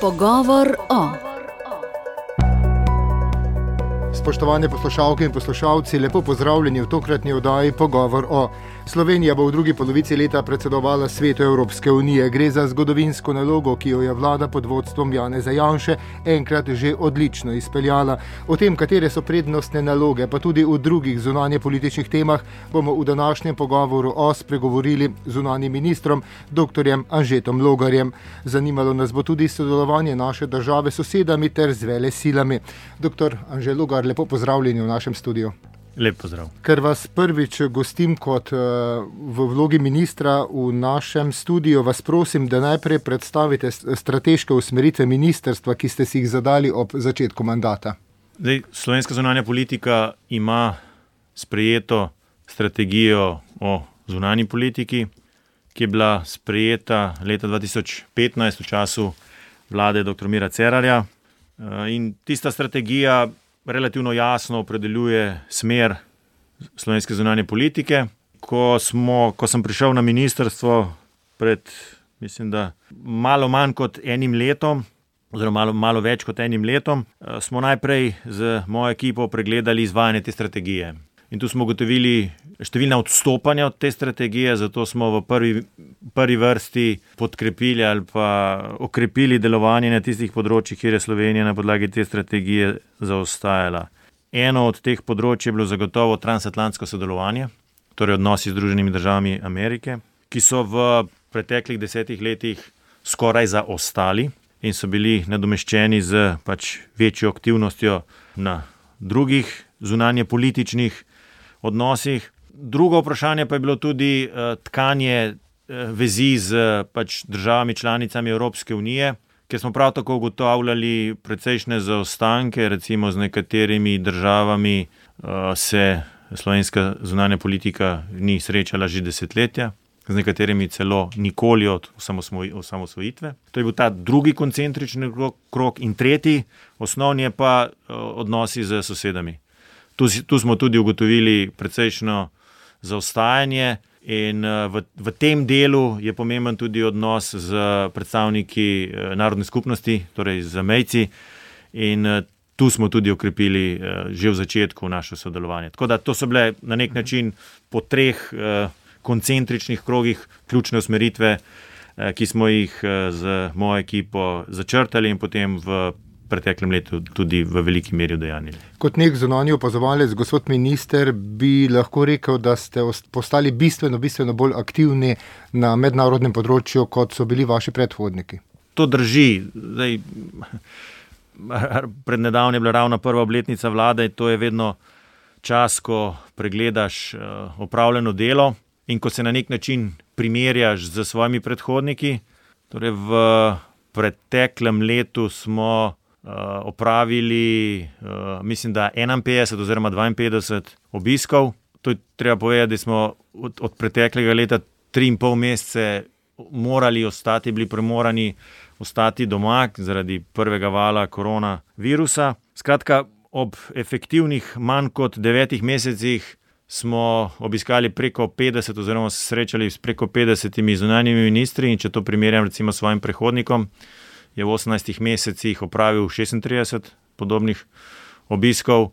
Pogovor o. Spoštovane poslušalke in poslušalci, lepo pozdravljeni v tokratni oddaji Pogovor o. Slovenija bo v drugi polovici leta predsedovala Svetu Evropske unije. Gre za zgodovinsko nalogo, ki jo je vlada pod vodstvom Janeza Janše enkrat že odlično izpeljala. O tem, katere so prednostne naloge, pa tudi v drugih zunanjepolitičnih temah, bomo v današnjem Pogovoru o spregovorili z zunanjim ministrom, dr. Anžetom Logarjem. Zanimalo nas bo tudi sodelovanje naše države s sosedami ter z velesilami. Dr. Anže Logar, lepo pozdravljeni v našem studiu. Lep pozdrav. Ker vas prvič gostim kot v vlogi ministra v našem studiu, vas prosim, da najprej predstavite strateške usmeritve ministrstva, ki ste si jih zadali ob začetku mandata. Slovenska zunanja politika ima sprejeto strategijo o zunanji politiki, ki je bila sprejeta leta 2015 v času vlade dr. Mira Cerarja. In tista strategija relativno jasno opredeljuje smer slovenske zunanje politike. Ko sem prišel na ministrstvo pred, mislim, da malo manj kot enim letom, oziroma malo več kot enim letom, smo najprej z mojo ekipo pregledali izvajanje te strategije. In tu smo ugotovili številna odstopanja od te strategije, zato smo v prvi vrsti podkrepili ali pa okrepili delovanje na tistih področjih, kjer je Slovenija na podlagi te strategije zaostajala. Eno od teh področij je bilo zagotovo transatlantsko sodelovanje, torej odnosi z Združenimi državami Amerike, ki so v preteklih 10 letih skoraj zaostali in so bili nadomeščeni z večjo aktivnostjo na drugih zunanjepolitičnih odnosih. Drugo vprašanje pa je bilo tudi tkanje vezi z državami članicami Evropske unije, kjer smo prav tako ugotavljali precejšnje zaostanke, recimo z nekaterimi državami se slovenska zunanja politika ni srečala že desetletja, z nekaterimi celo nikoli od osamosvojitve. To je bil ta drugi koncentrični krog in tretji, osnovni je pa odnosi z sosedami. Tu smo tudi ugotovili precejšno zaostajanje in v tem delu je pomemben tudi odnos z predstavniki narodne skupnosti, torej z zamejci, in tu smo tudi okrepili že v začetku naše sodelovanje. Tako da to so bile na nek način po 3 koncentričnih krogih ključne usmeritve, ki smo jih z mojo ekipo začrtali in potem v preteklem letu tudi v veliki meri udejanjili. Kot nek zunanji opazovalec, gospod minister, bi lahko rekel, da ste postali bistveno bolj aktivni na mednarodnem področju, kot so bili vaši predhodniki. To drži. Pred nedavnim je bila ravno prva obletnica vlade in to je vedno čas, ko pregledaš opravljeno delo in ko se na nek način primerjaš z svojimi predhodniki. Torej v preteklem letu smo opravili, mislim, da 51 oziroma 52 obiskov. To je treba povedati, da smo od preteklega leta 3,5 mesece bili primorani ostati doma zaradi prvega vala koronavirusa. Skratka, ob efektivnih manj kot 9 mesecih smo obiskali preko 50 oziroma se srečali s preko 50 zunanjimi ministri in če to primerjam recimo s svojim predhodnikom, je v 18 mesecih opravil 36 podobnih obiskov.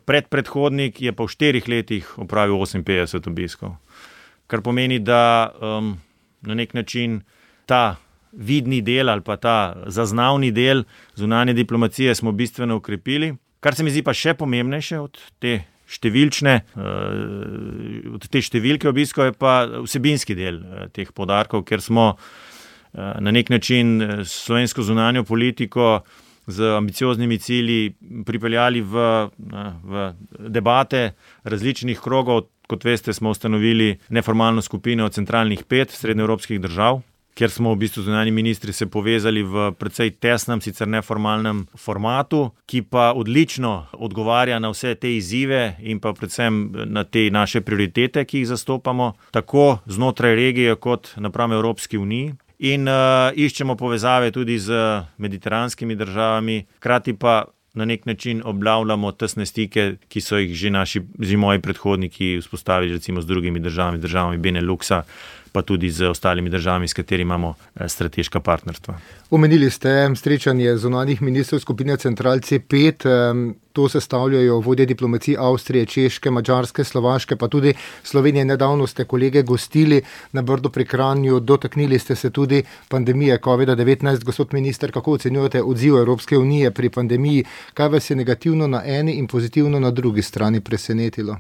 Predhodnik je pa v 4 letih opravil 58 obiskov. Kar pomeni, da na nek način ta vidni del ali pa ta zaznavni del zunanje diplomacije smo bistveno okrepili. Kar se mi zdi pa še pomembnejše od te številke obiskov je pa vsebinski del teh poudarkov, ker smo na nek način slovensko zunanjo politiko z ambicioznimi cilji pripeljali v debate različnih krogov. Kot veste, smo ustanovili neformalno skupino centralnih 5 srednjeevropskih držav, kjer smo v bistvu zunanji ministri se povezali v precej tesnem, sicer neformalnem formatu, ki pa odlično odgovarja na vse te izzive in pa predvsem na te naše prioritete, ki jih zastopamo, tako znotraj regije kot napram Evropski uniji. In iščemo povezave tudi z mediteranskimi državami, hkrati pa na nek način obnavljamo tesne stike, ki so jih že moji predhodniki vzpostavili recimo z drugimi državami Beneluxa, pa tudi z ostalimi državami, s katerimi imamo strateška partnerstva. Omenili ste srečanje zunanjih ministrov skupine Central C5. To sestavljajo vodje diplomacij Avstrije, Češke, Madžarske, Slovaške, pa tudi Slovenije. Nedavno ste kolege gostili na Brdu pri Kranju, dotaknili ste se tudi pandemije COVID-19. Gospod minister, kako ocenjujete odziv Evropske unije pri pandemiji? Kaj vas je negativno na eni in pozitivno na drugi strani presenetilo?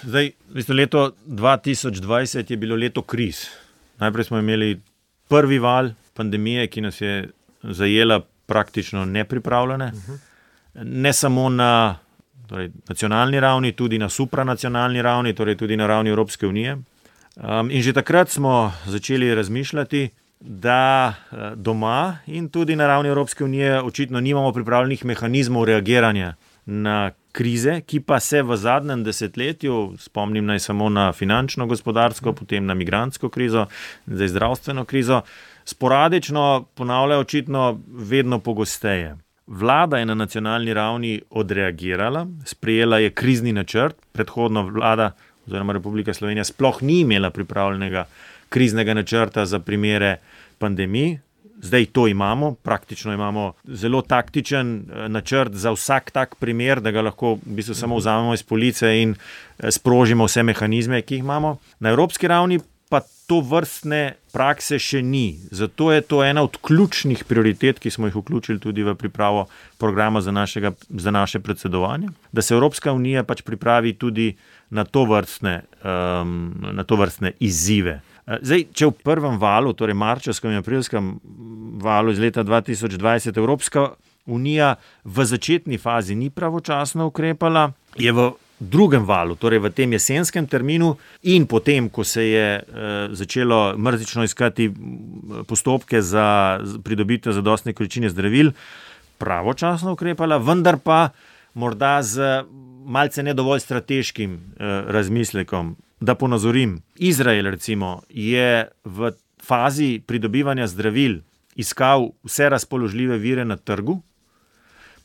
Zdaj, leto 2020 je bilo leto kriz. Najprej smo imeli prvi val pandemije, ki nas je zajela praktično nepripravljene. Ne samo na nacionalni ravni, tudi na supranacionalni ravni, torej tudi na ravni Evropske unije. In že takrat smo začeli razmišljati, da doma in tudi na ravni Evropske unije očitno nimamo pripravljenih mehanizmov reagiranja na krize, ki pa se v zadnjem desetletju, spomnim naj samo na finančno gospodarsko, potem na migrantsko krizo, zdaj zdravstveno krizo, sporadično ponavljajo očitno vedno pogosteje. Vlada je na nacionalni ravni odreagirala, sprejela je krizni načrt, predhodno vlada oziroma Republika Slovenija sploh ni imela pripravljenega kriznega načrta za primere pandemij. Zdaj to imamo, praktično imamo zelo taktičen načrt za vsak tak primer, da ga lahko v bistvu samo vzamemo iz police in sprožimo vse mehanizme, ki jih imamo. Na evropski ravni pa to vrstne prakse še ni. Zato je to ena od ključnih prioritet, ki smo jih vključili tudi v pripravo programa za naše predsedovanje, da se Evropska unija pač pripravi tudi na to vrstne izzive. Zdaj, če v prvem valu, torej marčevskem in aprilskem valu iz leta 2020 Evropska unija v začetni fazi ni pravočasno ukrepala, je v drugem valu, torej v tem jesenskem terminu in potem, ko se je začelo mrzlično iskati postopke za pridobitev zadostne količine zdravil, pravočasno ukrepala, vendar pa morda z malce ne dovolj strateškim razmislekom. Da ponazorim, Izrael recimo je v fazi pridobivanja zdravil iskal vse razpoložljive vire na trgu,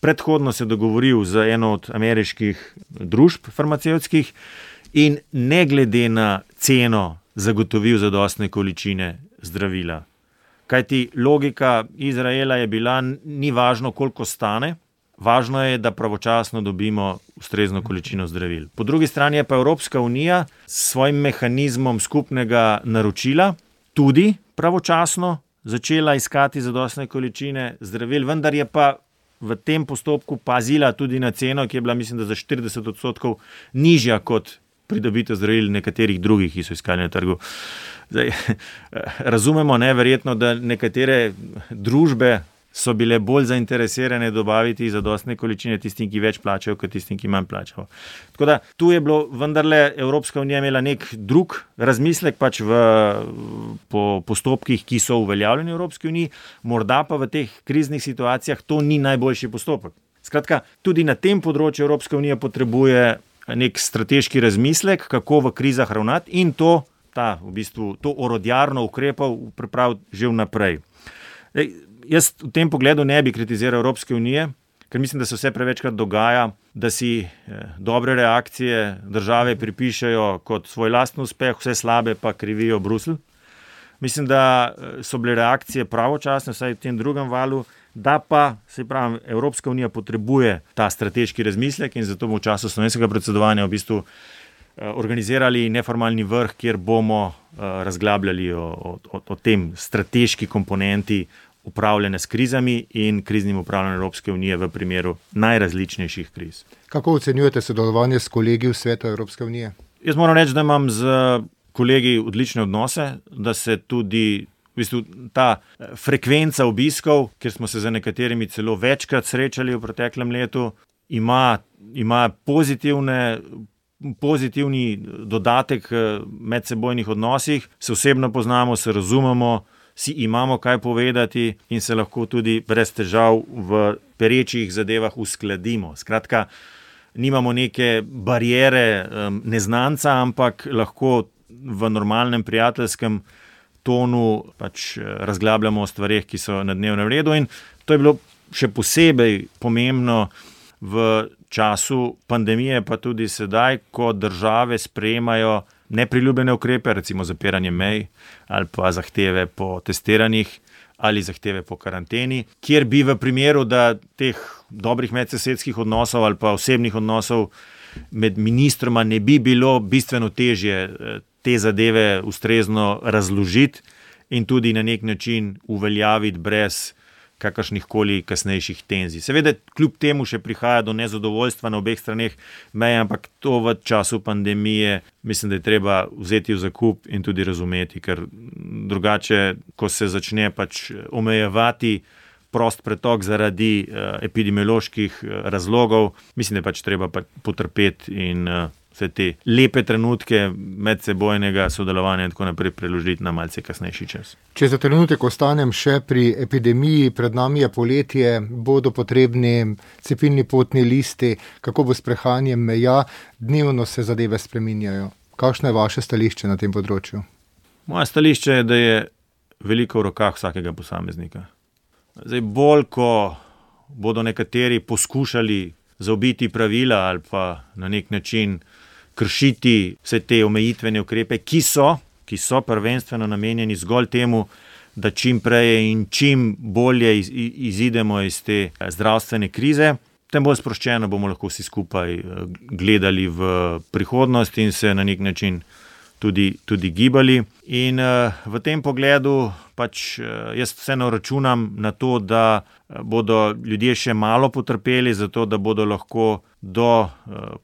predhodno se dogovoril z eno od ameriških družb farmacevtskih in ne glede na ceno zagotovil zadostne količine zdravila. Kajti logika Izraela je bila, ni važno, koliko stane, važno je, da pravočasno dobimo ustrezno količino zdravil. Po drugi strani je pa Evropska unija s svojim mehanizmom skupnega naročila tudi pravočasno začela iskati zadostne količine zdravil, vendar je pa v tem postopku pazila tudi na ceno, ki je bila, mislim, da za 40% nižja kot pridobitev zdravil nekaterih drugih, ki so iskali na trgu. Zdaj, razumemo neverjetno, da nekatere družbe so bile bolj zainteresirane dobaviti zadostne količine tistim, ki več plačajo, kot tistim, ki manj plačajo. Tako da tu je bilo vendarle Evropska unija imela nek drug razmislek pač po postopkih, ki so uveljavljeni v Evropski uniji, morda pa v teh kriznih situacijah to ni najboljši postopek. Skratka, tudi na tem področju Evropska unija potrebuje nek strateški razmislek, kako v krizah ravnati in to orodjarno ukrepov pripraviti že vnaprej. Jaz v tem pogledu ne bi kritiziral Evropske unije, ker mislim, da se vse prevečkrat dogaja, da si dobre reakcije države pripišejo kot svoj lastni uspeh, vse slabe pa krivijo Bruselj. Mislim, da so bile reakcije pravočasne, vsaj v tem drugem valu, da pa, Evropska unija potrebuje ta strateški razmislek in zato bomo v času slovenskega predsedovanja v bistvu organizirali neformalni vrh, kjer bomo razglabljali o tem strateški komponenti upravljanja s krizami in kriznim upravljanjem Evropske unije v primeru najrazličnejših kriz. Kako ocenjujete sodelovanje s kolegi v Svetu Evropske unije? Jaz moram reči, da imam z kolegi odlične odnose, da se tudi ta frekvenca obiskov, kjer smo se z nekaterimi celo večkrat srečali v preteklem letu, ima pozitivni dodatek medsebojnih odnosih, se osebno poznamo, se razumemo, si imamo kaj povedati in se lahko tudi brez težav v perečih zadevah uskladimo. Skratka, nimamo neke bariere neznanca, ampak lahko v normalnem prijateljskem tonu pač razglabljamo o stvareh, ki so na dnevnem redu in to je bilo še posebej pomembno v času pandemije, pa tudi sedaj, ko države sprejemajo nepriljubljene ukrepe, recimo zapiranje mej ali pa zahteve po testiranjih ali zahteve po karanteni, kjer bi v primeru, da teh dobrih medsosedskih odnosov ali pa osebnih odnosov med ministroma ne bi bilo bistveno težje te zadeve ustrezno razložiti in tudi na nek način uveljaviti brez kakršnihkoli kasnejših tenzij. Seveda, kljub temu še prihaja do nezadovoljstva na obeh straneh meje, ampak to v času pandemije mislim, da je treba vzeti v zakup in tudi razumeti, ker drugače, ko se začne pač omejevati prost pretok zaradi epidemioloških razlogov, mislim, da je pač treba potrpeti in vse te lepe trenutke medsebojnega sodelovanja in tako naprej preložiti na malce kasnejši čas. Če za trenutek ostanem še pri epidemiji, pred nami je poletje, bodo potrebni cepilni potni listi, kako bo s prehajanjem meja, dnevno se zadeve spreminjajo. Kakšno je vaše stališče na tem področju? Moje stališče je, da je veliko v rokah vsakega posameznika. Zdaj, bolj, ko bodo nekateri poskušali zaobiti pravila ali pa na nek način kršiti vse te omejitvene ukrepe, ki so prvenstveno namenjeni zgolj temu, da čim prej in čim bolje izidemo iz te zdravstvene krize, tem bolj sproščeno bomo lahko vsi skupaj gledali v prihodnost in se na nek način tudi gibali. In v tem pogledu pač jaz vseeno računam na to, da bodo ljudje še malo potrpeli, zato da bodo lahko do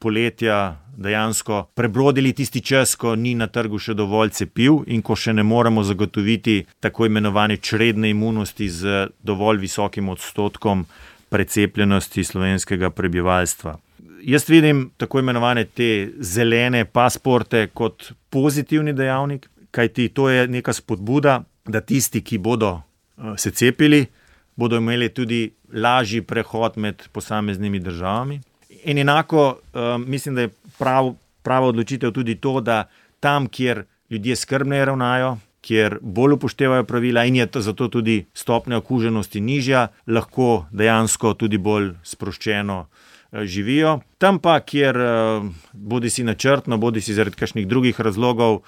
poletja dejansko prebrodili tisti čas, ko ni na trgu še dovolj cepiv in ko še ne moremo zagotoviti tako imenovane čredne imunosti z dovolj visokim odstotkom precepljenosti slovenskega prebivalstva. Jaz vidim tako imenovane te zelene pasporte kot pozitivni dejavnik, kajti to je neka spodbuda, da tisti, ki bodo se cepili, bodo imeli tudi lažji prehod med posameznimi državami. In enako mislim, da je prava odločitev tudi to, da tam, kjer ljudje skrbneje ravnajo, kjer bolj upoštevajo pravila in je zato tudi stopnja okuženosti nižja, lahko dejansko tudi bolj sproščeno živijo. Tam pa, kjer bodisi načrtno, bodisi zaradi kakšnih drugih razlogov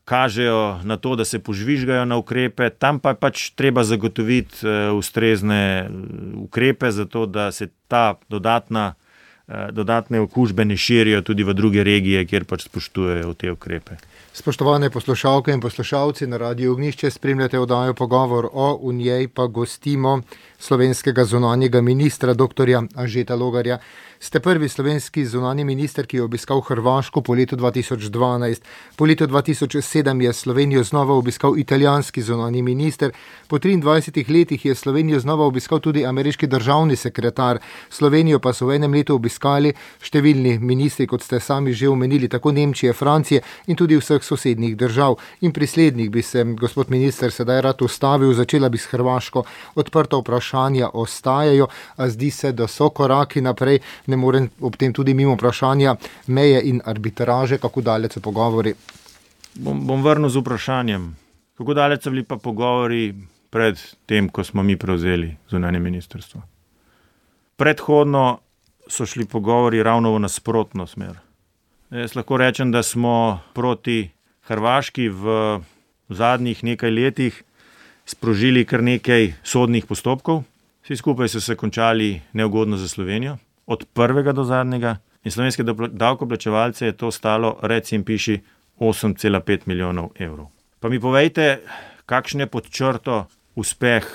kažejo na to, da se požvižgajo na ukrepe, tam pa pač treba zagotoviti ustrezne ukrepe, zato da se ta dodatne okužbe ne širijo tudi v druge regije, kjer pač spoštujejo te ukrepe. Spoštovane poslušalke in poslušalci, na Radiu Ognjišče spremljate oddajo Pogovor o, v njej pa gostimo slovenskega zunanjega ministra, dr. Anžeta Logarja. Ste prvi slovenski zunanji minister, ki je obiskal Hrvaško po letu 2012. Po letu 2007 je Slovenijo znova obiskal italijanski zunanji minister. Po 23 letih je Slovenijo znova obiskal tudi ameriški državni sekretar. Slovenijo pa so v enem letu obiskali številni ministri, kot ste sami že omenili, tako Nemčije, Francije in tudi vseh sosednjih držav. In pri slednjih bi se, gospod minister, sedaj rad ustavil, začela bi s Hrvaško. Odprta vprašanja ostajajo, a zdi se, da so koraki naprej. Ne morem ob tem tudi mimo vprašanja meje in arbitraže, kako daleč so pogovori. Bom vrnil z vprašanjem. Kako daleč so bili pa pogovori pred tem, ko smo mi prevzeli zunanje ministrstvo? Predhodno so šli pogovori ravno v nasprotno smer. Jaz lahko rečem, da smo proti Hrvaški v zadnjih nekaj letih sprožili kar nekaj sodnih postopkov. Vsi skupaj so se končali neugodno za Slovenijo, od prvega do zadnjega, in slovenske davkoplačevalce je to stalo, reci in piši, 8,5 milijonov evrov. Pa mi povejte, kakšen je pod črto uspeh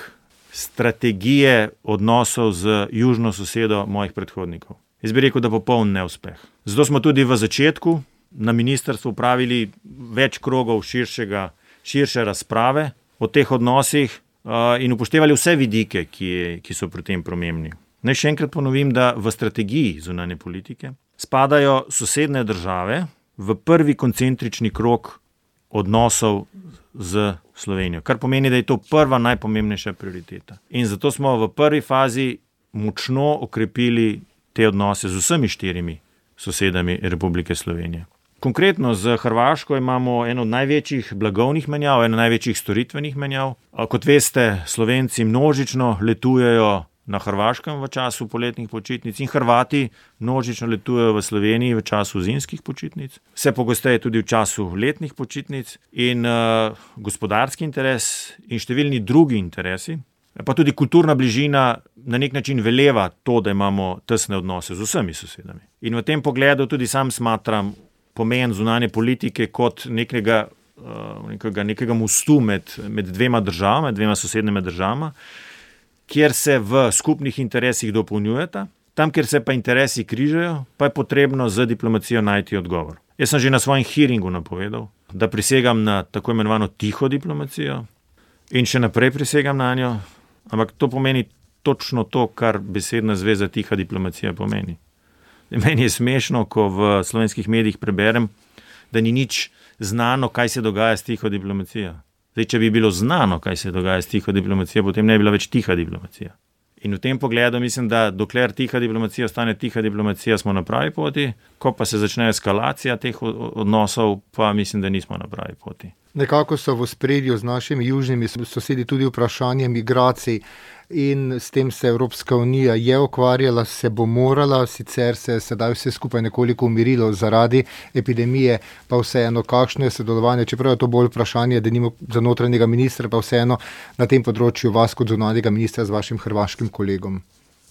strategije odnosov z južno sosedo mojih predhodnikov. Jaz bi rekel, da popoln neuspeh. Zato smo tudi v začetku na ministrstvu pravili več krogov širše razprave o teh odnosih in upoštevali vse vidike, ki so pri tem pomembni. Naj še enkrat ponovim, da v strategiji zunanje politike spadajo sosednje države v prvi koncentrični krog odnosov z Slovenijo, kar pomeni, da je to prva najpomembnejša prioriteta. In zato smo v prvi fazi močno okrepili te odnose z vsemi 4 sosedami Republike Slovenije. Konkretno z Hrvaško imamo eno od največjih blagovnih menjav, eno največjih storitvenih menjav. Kot veste, Slovenci množično letujejo na Hrvaškem v času poletnih počitnic in Hrvati množično letujejo v Sloveniji v času zimskih počitnic, vse pogosteje tudi v času letnih počitnic in gospodarski interes in številni drugi interesi, pa tudi kulturna bližina na nek način veleva to, da imamo tesne odnose z vsemi sosedami. In v tem pogledu tudi sam smatram pomen zunanje politike kot nekega mostu med dvema državama, dvema sosednjima državama, kjer se v skupnih interesih dopolnjujeta, tam, kjer se pa interesi križajo, pa je potrebno z diplomacijo najti odgovor. Jaz sem že na svojem hearingu napovedal, da prisegam na tako imenovano tiho diplomacijo in še naprej prisegam na njo, ampak to pomeni točno to, kar besedna zveza tiha diplomacija pomeni. Meni je smešno, ko v slovenskih medijih preberem, da ni nič znano, kaj se dogaja s tiho diplomacijo. Zdaj, če bi bilo znano, kaj se dogaja s tiho diplomacijo, potem ne bi bila več tiha diplomacija. In v tem pogledu mislim, da dokler tiha diplomacija ostane tiha diplomacija, smo na pravi poti, ko pa se začne eskalacija teh odnosov, pa mislim, da nismo na pravi poti. Nekako so v ospredju z našimi južnimi sosedi tudi vprašanje migracij in s tem se Evropska unija je ukvarjala, se bo morala, sicer se sedaj vse skupaj nekoliko umirilo zaradi epidemije, pa vseeno, kakšno je sodelovanje, čeprav je to bolj vprašanje, da nima za notranjega ministra, pa vseeno na tem področju vas kot zunanjega ministra z vašim hrvaškim kolegom.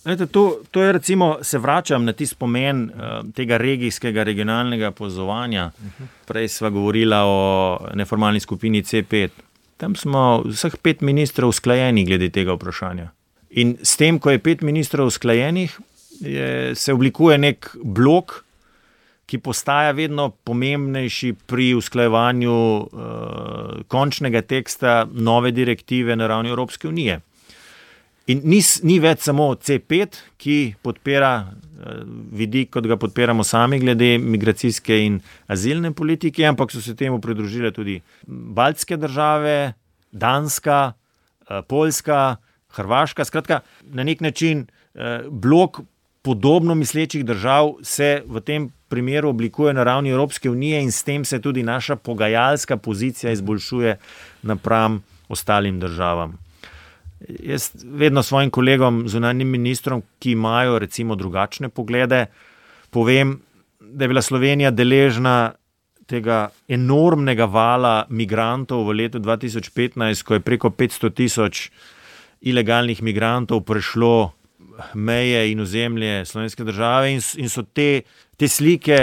To je recimo, se vračam na tisti pomen tega regijskega, regionalnega povezovanja. Prej sva govorila o neformalni skupini C5. Tam smo vseh 5 ministrov usklajeni glede tega vprašanja. In s tem, ko je 5 ministrov usklajenih, se oblikuje nek blok, ki postaja vedno pomembnejši pri usklajevanju končnega teksta nove direktive na ravni Evropske unije. In ni več samo C5, ki podpira vidik, kot ga podpiramo sami glede migracijske in azilne politike, ampak so se temu pridružile tudi baltske države, Danska, Poljska, Hrvaška. Skratka, na nek način blok podobno mislečih držav se v tem primeru oblikuje na ravni Evropske unije in s tem se tudi naša pogajalska pozicija izboljšuje napram ostalim državam. Jaz vedno svojim kolegom, zunanjim ministrom, ki imajo recimo drugačne poglede, povem, da je bila Slovenija deležna tega enormnega vala migrantov v letu 2015, ko je preko 500,000 ilegalnih migrantov prešlo meje in ozemlje slovenske države in so te slike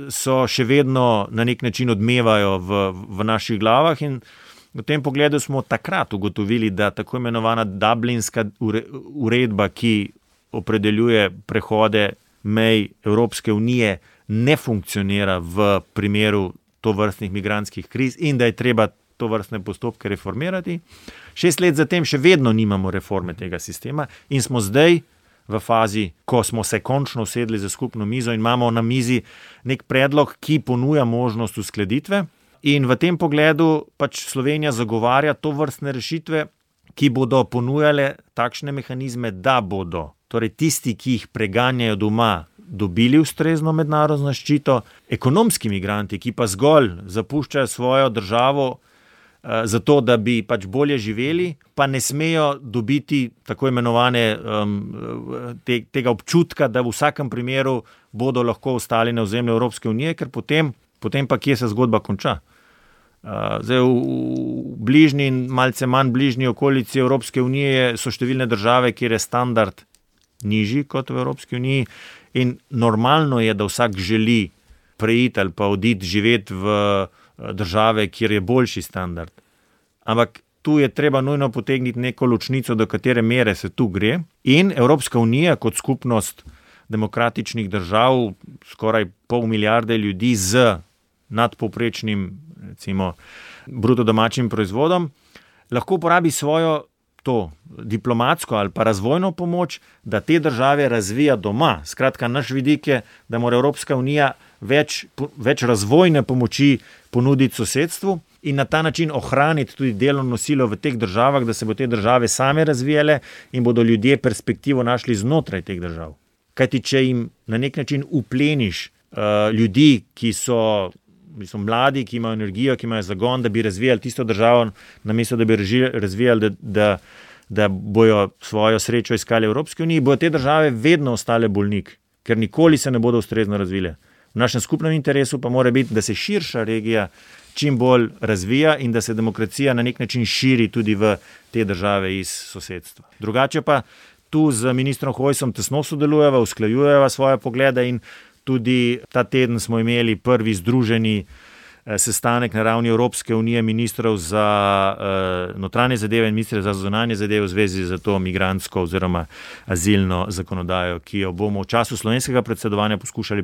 so še vedno na nek način odmevajo v naših glavah in v tem pogledu smo takrat ugotovili, da tako imenovana Dublinska uredba, ki opredeljuje prehode mej Evropske unije, ne funkcionira v primeru tovrstnih migrantskih kriz in da je treba tovrstne postopke reformirati. 6 let zatem še vedno nimamo reforme tega sistema in smo zdaj v fazi, ko smo se končno usedli za skupno mizo in imamo na mizi nek predlog, ki ponuja možnost uskladitve. In v tem pogledu pač Slovenija zagovarja to vrstne rešitve, ki bodo ponujale takšne mehanizme, da bodo torej tisti, ki jih preganjajo doma, dobili ustrezno mednarodno zaščito, ekonomski migranti, ki pa zgolj zapuščajo svojo državo zato, da bi pač bolje živeli, pa ne smejo dobiti tako imenovane tega občutka, da v vsakem primeru bodo lahko ostali na ozemlju Evropske unije, ker potem pa kje se zgodba konča. Zdaj v bližnji in malce manj bližnji okolici Evropske unije so številne države, kjer je standard nižji kot v Evropski uniji in normalno je, da vsak želi preiti ali pa oditi živeti v države, kjer je boljši standard. Ampak tu je treba nujno potegniti neko ločnico, do katere mere se tu gre in Evropska unija kot skupnost demokratičnih držav, skoraj 500 milijarde ljudi z nadpovprečnim, recimo, bruto domačim proizvodom, lahko uporabi svojo to diplomatsko ali pa razvojno pomoč, da te države razvija doma. Skratka, naš vidik je, da mora Evropska unija več razvojne pomoči ponuditi sosedstvu in na ta način ohraniti tudi delovno silo v teh državah, da se bo te države same razvijale in bodo ljudje perspektivo našli znotraj teh držav. Kajti, če jim na nek način upleniš ljudi, ki so mladi, ki imajo energijo, ki imajo zagon, da bi razvijali tisto državo, namesto da bi razvijali, da da bojo svojo srečo iskali v Evropski uniji, bojo te države vedno ostale bolnik, ker nikoli se ne bodo ustrezno razvile. V našem skupnem interesu pa mora biti, da se širša regija čim bolj razvija in da se demokracija na nek način širi tudi v te države iz sosedstva. Drugače pa tu z ministrom Hojsom tesno sodelujeva, usklajujeva svoje poglede in tudi ta teden smo imeli prvi združeni sestanek na ravni Evropske unije ministrov za notranje zadeve in ministre za zunanje zadeve v zvezi z to migrantsko oziroma azilno zakonodajo, ki jo bomo v času slovenskega predsedovanja poskušali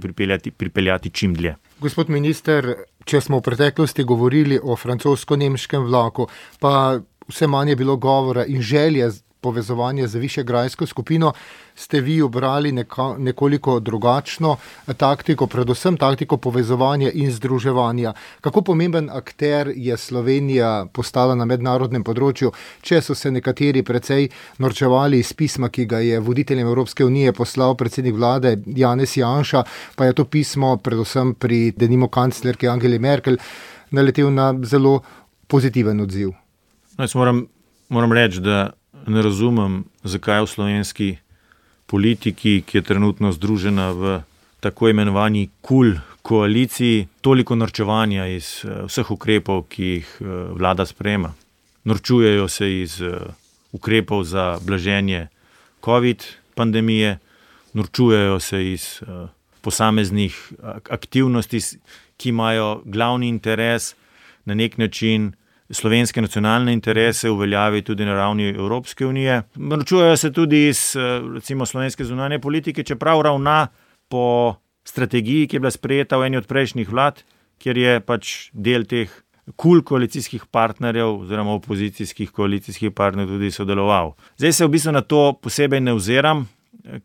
pripeljati čim dlje. Gospod minister, če smo v preteklosti govorili o francosko-nemškem vlaku, pa vse manj je bilo govora in želje povezovanje z višegrajsko skupino, ste vi obrali nekoliko drugačno taktiko, predvsem taktiko povezovanja in združevanja. Kako pomemben akter je Slovenija postala na mednarodnem področju, če so se nekateri precej norčevali iz pisma, ki ga je voditeljem Evropske unije poslal predsednik vlade Janez Janša, pa je to pismo predvsem pri denimo kanclerki Angeli Merkel naletel na zelo pozitiven odziv. Jaz moram reči, da ne razumem, zakaj v slovenski politiki, ki je trenutno združena v tako imenovani koaliciji, toliko norčevanja iz vseh ukrepov, ki jih vlada sprejema. Norčujejo se iz ukrepov za blaženje COVID pandemije, norčujejo se iz posameznih aktivnosti, ki imajo glavni interes na nek način slovenske nacionalne interese uveljavi tudi na ravni Evropske unije. Norčujejo se tudi iz recimo slovenske zunanje politike, čeprav ravna po strategiji, ki je bila sprejeta v eni od prejšnjih vlad, kjer je pač del teh koalicijskih partnerjev oziroma opozicijskih koalicijskih partnerjev tudi sodeloval. Zdaj se v bistvu na to posebej ne oziram,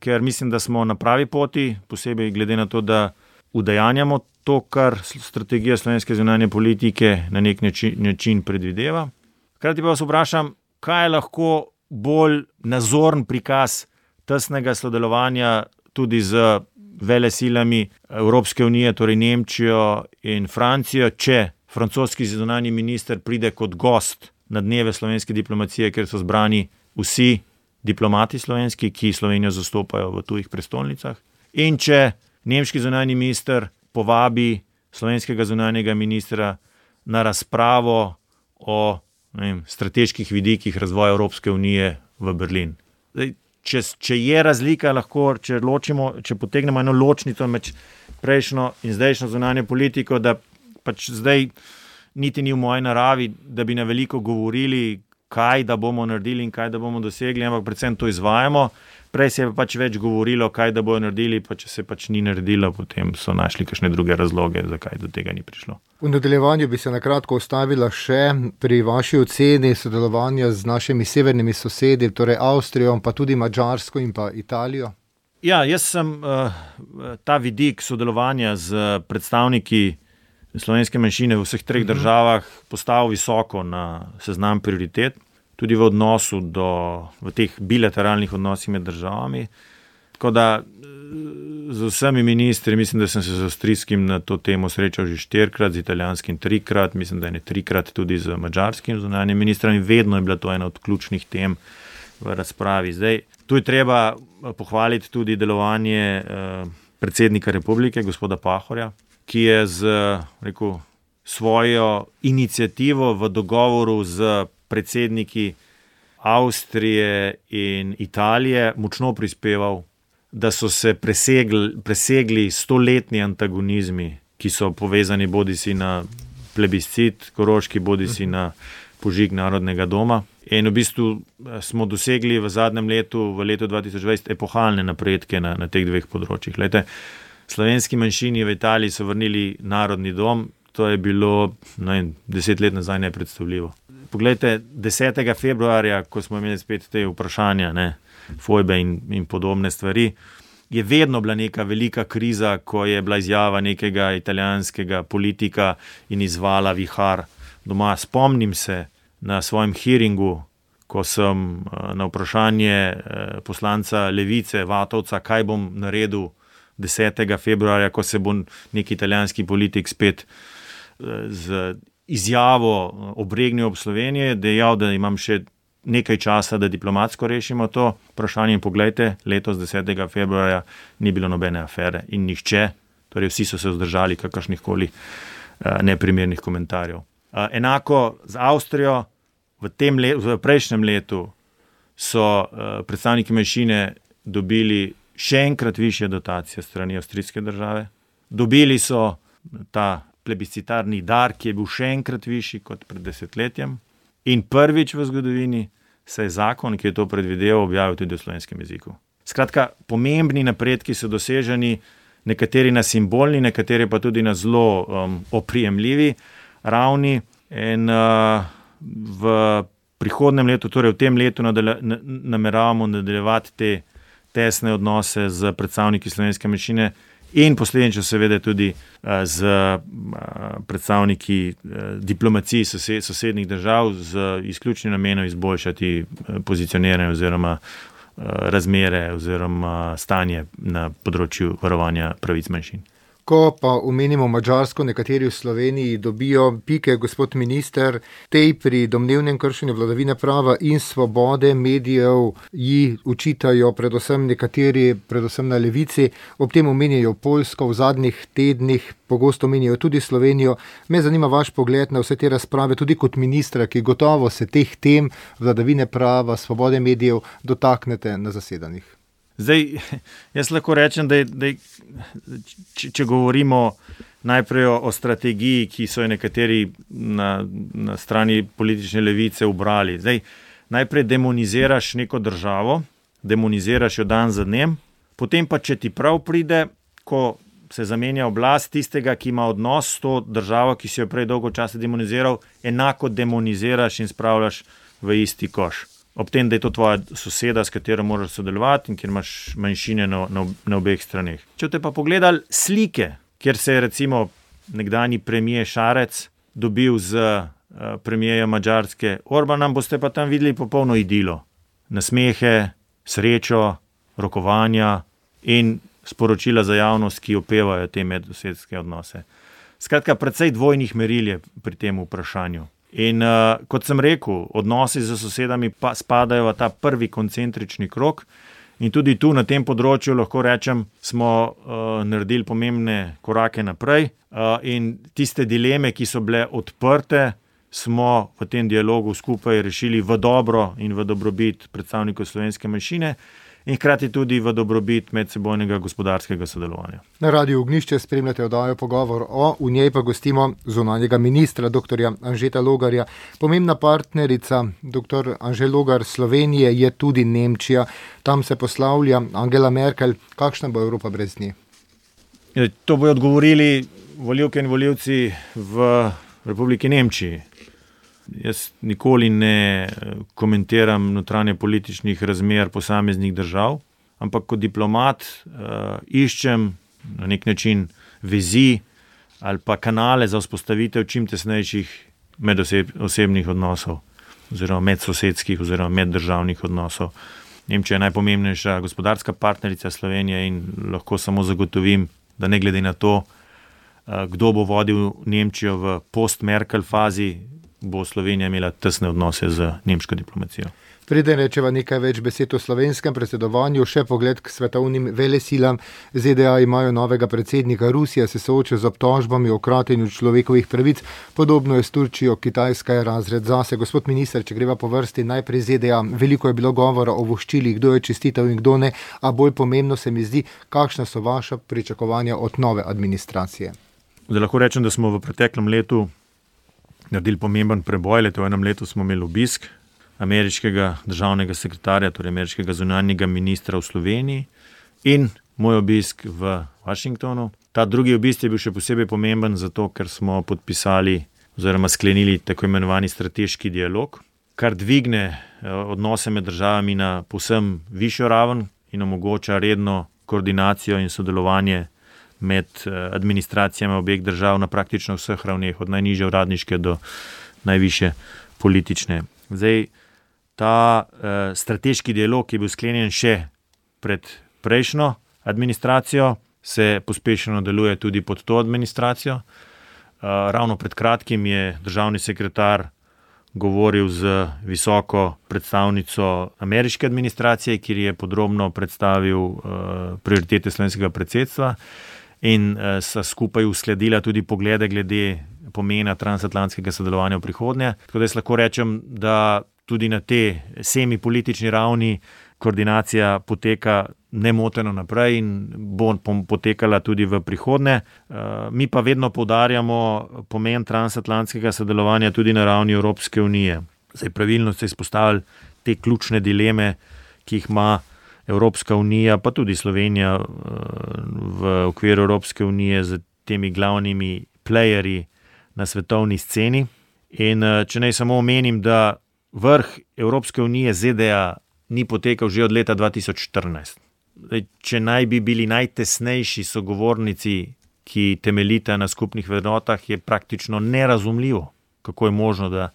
ker mislim, da smo na pravi poti, posebej glede na to, da udejanjamo to, kar strategija slovenske zunanje politike na nek način predvideva. Hkrati pa vas vprašam, kaj je lahko bolj nazorn prikaz tesnega sodelovanja tudi z velesilami Evropske unije, torej Nemčijo in Francijo, če francoski zunanji minister pride kot gost na dneve slovenske diplomacije, kjer so zbrani vsi diplomati slovenski, ki Slovenijo zastopajo v tujih prestolnicah. In če nemški zunanji minister povabi slovenskega zunanjega ministra na razpravo o strateških vidikih razvoja Evropske unije v Berlin. Zdaj, če je razlika, lahko, če potegnemo eno ločnico med prejšnjo in zdajšnjo zunanjo politiko, da pač zdaj niti ni v moji naravi, da bi na veliko govorili, kaj da bomo naredili in kaj da bomo dosegli, ampak predvsem to izvajamo. Prej se je pač več govorilo, kaj da bojo naredili, pa če se pač ni naredilo, potem so našli kakšne druge razloge, zakaj do tega ni prišlo. V nadaljevanju bi se na kratko ustavila še pri vaši oceni sodelovanja z našimi severnimi sosedi, torej Avstrijo, pa tudi Madžarsko in pa Italijo. Ja, jaz sem ta vidik sodelovanja z predstavniki slovenske manjšine v vseh treh državah postavil visoko na seznam prioritet. Tudi v odnosu v teh bilateralnih odnosih med državami. Tako da z vsemi ministri, mislim, da sem se z avstrijskim na to temo srečal že 4-krat, z italijanskim 3-krat, mislim, da je 3-krat tudi z madžarskim zunanjim ministrom in vedno je bila to ena od ključnih tem v razpravi. Zdaj, tu je treba pohvaliti tudi delovanje predsednika republike, gospoda Pahorja, ki je svojo iniciativo v dogovoru z predsedniki Avstrije in Italije močno prispeval, da so se presegli 100-letni antagonizmi, ki so povezani bodisi na plebiscit Koroški, bodisi na požig Narodnega doma. In v bistvu smo dosegli v zadnjem letu, v letu 2020, epohalne napredke na teh dveh področjih. Glejte, slovenski manjšini v Italiji so vrnili Narodni dom, to je bilo 10 let nazaj nepredstavljivo. Poglejte, 10. februarja, ko smo imeli spet te vprašanja, fojbe in podobne stvari, je vedno bila neka velika kriza, ko je bila izjava nekega italijanskega politika in izvala vihar doma. Spomnim se na svojem hearingu, ko sem na vprašanje poslanca Levice, Vatovca, kaj bom naredil 10. februarja, ko se bo neki italijanski politik spet z izjavo obregnil ob Slovenije, dejal, da imam še nekaj časa, da diplomatsko rešimo to vprašanje. In poglejte, letos 10. februarja ni bilo nobene afere in nihče, torej vsi so se vzdržali kakršnihkoli neprimernih komentarjev. Enako z Avstrijo, v prejšnjem letu so predstavniki manjšine dobili še enkrat višje dotacije strani avstrijske države. Dobili so ta plebiscitarni dar, ki je bil še enkrat višji kot pred desetletjem. In prvič v zgodovini se je zakon, ki je to predvideval, objavil tudi v slovenskem jeziku. Skratka, pomembni napredki so doseženi, nekateri na simbolni, nekateri pa tudi na zelo oprijemljivi ravni. In v prihodnem letu, torej v tem letu, nameravamo nadaljevati te tesne odnose z predstavniki slovenske manjšine in posledično seveda tudi z predstavniki diplomacij sosednjih držav z izključnim namenom izboljšati pozicioniranje oziroma razmere oziroma stanje na področju varovanja pravic manjšin. Ko pa omenimo Madžarsko, nekateri v Sloveniji dobijo pike, gospod minister, tej pri domnevnem kršenju vladavine prava in svobode medijev ji učitajo predvsem nekateri, predvsem na levici, ob tem omenjajo Poljsko v zadnjih tednih, pogosto omenjajo tudi Slovenijo. Me zanima vaš pogled na vse te razprave, tudi kot ministra, ki gotovo se teh tem vladavine prava, svobode medijev dotaknete na zasedanjih. Zdaj, jaz lahko rečem, da če govorimo najprej o strategiji, ki so jo nekateri na strani politične levice ubrali. Zdaj, najprej demoniziraš neko državo, demoniziraš jo dan za dnem, potem pa, če ti prav pride, ko se zamenja oblast, tistega, ki ima odnos s to državo, ki si jo prej dolgo časa demoniziral, enako demoniziraš in spravljaš v isti koš. Ob tem, da je to tvoja soseda, s katero moraš sodelovati in kjer imaš manjšine na obeh straneh. Če te pa pogledali slike, kjer se je recimo nekdanji premier Šarec dobil z premierjem Madžarske Orbanom, boste pa tam videli popolno idilo. Nasmehe, srečo, rokovanja in sporočila za javnost, ki opevajo te medsosedske odnose. Skratka, precej dvojnih meril je pri tem vprašanju. In kot sem rekel, odnosi z sosedami pa spadajo v ta prvi koncentrični krog in tudi tu na tem področju lahko rečem, smo naredili pomembne korake naprej in tiste dileme, ki so bile odprte, smo v tem dialogu skupaj rešili v dobro in v dobrobit predstavnikov slovenske manjšine in hkrati tudi v dobrobit medsebojnega gospodarskega sodelovanja. Na Radiu Ognjišče spremljate oddajo Pogovor o, v njej pa gostimo zunanjega ministra, dr. Anžeta Logarja. Pomembna partnerica dr. Anže Logar Slovenije je tudi Nemčija. Tam se poslavlja Angela Merkel. Kakšna bo Evropa brez nje? To bojo odgovorili volivke in volivci v Republiki Nemčiji. Jaz nikoli ne komentiram notranje političnih razmer posameznih držav, ampak kot diplomat iščem na nek način vezi ali pa kanale za vzpostavitev čim tesnejših medosebnih odnosov oziroma medsosedskih oziroma meddržavnih odnosov. Nemčija je najpomembnejša gospodarska partnerica Slovenije in lahko samo zagotovim, da ne glede na to, kdo bo vodil Nemčijo v post-Merkel fazi, bo Slovenija imela tesne odnose z nemško diplomacijo. Preden rečeva nekaj več besed o slovenskem predsedovanju, še pogled k svetovnim velesilam. ZDA imajo novega predsednika, Rusija se sooča z obtožbami o kratenju človekovih pravic, podobno je s Turčijo, Kitajska je razred zase. Gospod minister, če greva po vrsti, najprej ZDA. Veliko je bilo govora o voščilih, kdo je čestital in kdo ne, a bolj pomembno se mi zdi, kakšna so vaša pričakovanja od nove administracije. Zdaj lahko rečem, da smo v preteklem letu naredili pomemben preboj. V enem letu smo imeli obisk ameriškega državnega sekretarja, torej ameriškega zunanjega ministra v Sloveniji in moj obisk v Washingtonu. Ta drugi obisk je bil še posebej pomemben zato, ker smo podpisali oziroma sklenili tako imenovani strateški dialog, kar dvigne odnose med državami na povsem višjo raven in omogoča redno koordinacijo in sodelovanje med administracijami obeh držav na praktično vseh ravneh, od najnižje uradniške do najvišje politične. Zdaj, ta strateški dialog, ki je bil sklenjen še pred prejšnjo administracijo, se pospešeno deluje tudi pod to administracijo. Ravno pred kratkim je državni sekretar govoril z visoko predstavnico ameriške administracije, kjer je podrobno predstavil prioritete slovenskega predsedstva in sta skupaj uskladila tudi poglede glede pomena transatlantskega sodelovanja v prihodnje. Tako da jaz lahko rečem, da tudi na te semipolitični ravni koordinacija poteka nemoteno naprej in bo potekala tudi v prihodnje. Mi pa vedno poudarjamo pomen transatlantskega sodelovanja tudi na ravni Evropske unije. Zdaj, pravilno ste izpostavili te ključne dileme, ki jih ima Evropska unija, pa tudi Slovenija v okviru Evropske unije z temi glavnimi playerji na svetovni sceni. In če naj samo omenim, da vrh Evropske unije ZDA ni potekal že od leta 2014. Če naj bi bili najtesnejši sogovornici, ki temeljita na skupnih vrednotah, je praktično nerazumljivo, kako je možno, da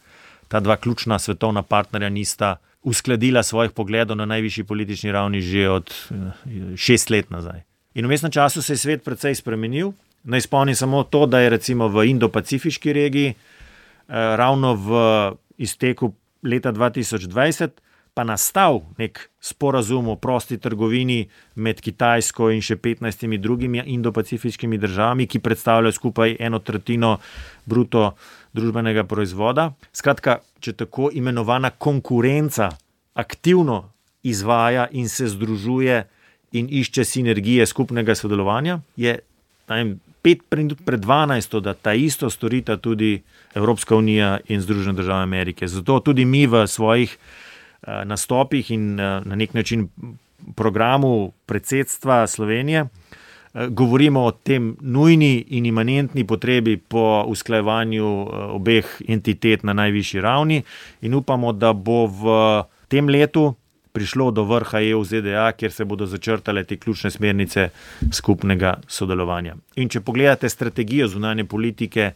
ta dva ključna svetovna partnerja nista uskladila svojih pogledov na najvišji politični ravni že od 6 let nazaj. In v vmesnem času se je svet precej spremenil. Naj spomnim samo to, da je recimo v Indo-Pacifiški regiji ravno v izteku leta 2020 pa nastal nek sporazum o prosti trgovini med Kitajsko in še 15 drugimi Indo-Pacifiškimi državami, ki predstavljajo skupaj 1/3 bruto družbenega proizvoda. Skratka, če tako imenovana konkurenca aktivno izvaja in se združuje in išče sinergije skupnega sodelovanja, je 5 minut pred 12, da ta isto storita tudi Evropska unija in Združene države Amerike. Zato tudi mi v svojih nastopih in na nek način programu predsedstva Slovenije govorimo o tem nujni in imanentni potrebi po usklajevanju obeh entitet na najvišji ravni in upamo, da bo v tem letu prišlo do vrha EU-ZDA, kjer se bodo začrtale te ključne smernice skupnega sodelovanja. In če pogledate strategijo zunanje politike